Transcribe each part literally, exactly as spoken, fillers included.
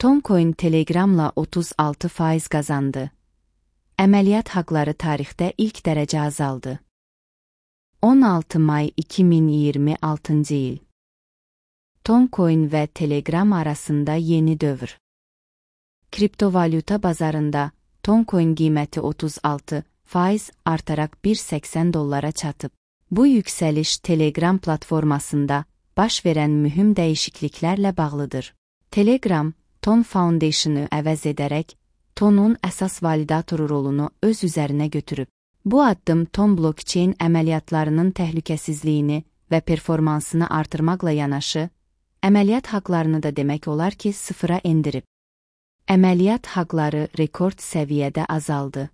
Toncoin Telegram'la otuz altı faiz qazandı. Əməliyyat haqları tarixdə ilk dərəcə azaldı. on altı may iki min iyirmi altıncı il. Toncoin və Telegram arasında yeni dövr. Kriptovalyuta bazarında Toncoin qiyməti otuz altı faiz artaraq bir səksən dollara çatıb. Bu yüksəliş Telegram platformasında baş verən mühüm dəyişikliklərlə bağlıdır. Telegram, Ton Foundation-ı əvəz edərək, Tonun əsas validatoru rolunu öz üzərinə götürüb. Bu addım Ton blockchain əməliyyatlarının təhlükəsizliyini və performansını artırmaqla yanaşı, əməliyyat haqlarını da demək olar ki, sıfıra endirib. Əməliyyat haqları rekord səviyyədə azaldı.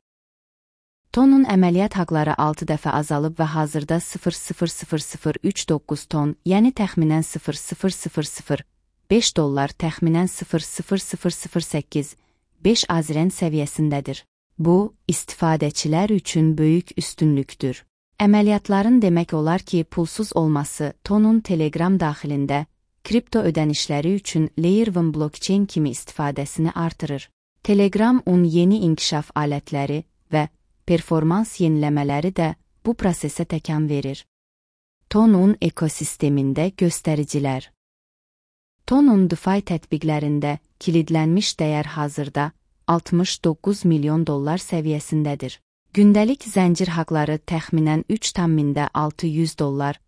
Tonun əməliyyat haqları altı dəfə azalıb və hazırda sıfır nöqtə sıfır sıfır sıfır üç doqquz ton, yəni təxminən sıfır nöqtə sıfır sıfır sıfır beş dollar, təxminən sıfır nöqtə sıfır sıfır sıfır səkkiz beş azren səviyyəsindədir. Bu, istifadəçilər üçün böyük üstünlükdür. Əməliyyatların demək olar ki, pulsuz olması Tonun Telegram daxilində kripto ödənişləri üçün Layer bir blockchain kimi istifadəsini artırır. Telegram-un yeni inkişaf alətləri və performans yeniləmələri də bu prosesə təkan verir. Tonun ekosistemində göstəricilər. Tonun DeFi tətbiqlərində kilidlənmiş dəyər hazırda altmış doqquz milyon dollar səviyyəsindədir. Gündəlik zəncir haqları təxminən üç min altı yüz dollar,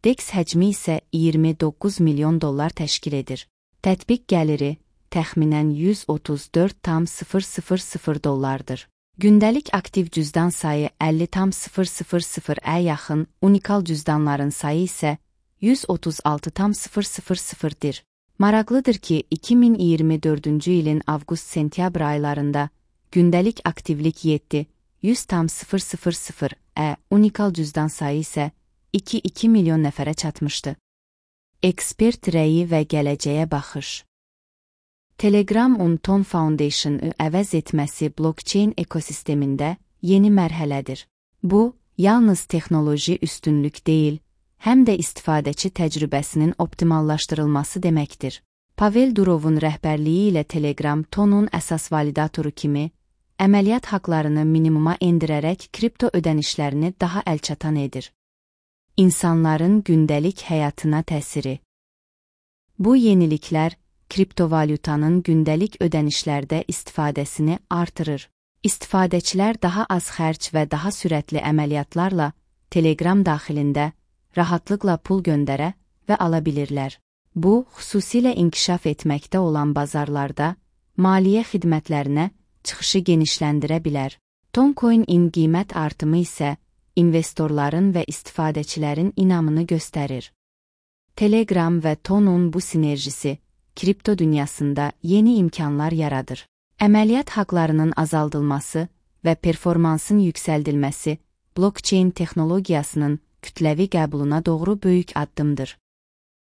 DEX həcmi isə iyirmi doqquz milyon dollar təşkil edir. Tətbiq gəliri təxminən yüz otuz dörd tam sıfır sıfır sıfır dollardır. Gündəlik aktiv cüzdan sayı əlli tam sıfır sıfır sıfıra yaxın, unikal cüzdanların sayı isə yüz otuz altı tam sıfır sıfır sıfırdır. Maraqlıdır ki, iki min iyirmi dördüncü ilin avqust-sentyabr aylarında gündəlik aktivlik yeddi, yüz tam sıfır sıfır sıfıra, unikal cüzdan sayı isə iki nöqtə iki milyon nəfərə çatmışdı. Ekspert rəyi və gələcəyə baxış. Telegram-un Ton Foundation-ı əvəz etməsi blockchain ekosistemində yeni mərhələdir. Bu, yalnız texnoloji üstünlük deyil, həm də istifadəçi təcrübəsinin optimallaşdırılması deməkdir. Pavel Durovun rəhbərliyi ilə Telegram Tonun əsas validatoru kimi, əməliyyat haqlarını minimuma endirərək kripto ödənişlərini daha əlçatan edir. İnsanların gündəlik həyatına təsiri. Bu yeniliklər, kriptovalyutanın gündəlik ödənişlərdə istifadəsini artırır. İstifadəçilər daha az xərc və daha sürətli əməliyyatlarla Telegram daxilində rahatlıqla pul göndərə və ala bilirlər. Bu, xüsusilə inkişaf etməkdə olan bazarlarda maliyyə xidmətlərinə çıxışı genişləndirə bilər. Toncoin-in qiymət artımı isə investorların və istifadəçilərin inamını göstərir. Telegram və Tonun bu sinerjisi kripto dünyasında yeni imkanlar yaradır. Əməliyyat haqlarının azaldılması və performansın yüksəldilməsi blockchain texnologiyasının kütləvi qəbuluna doğru böyük addımdır.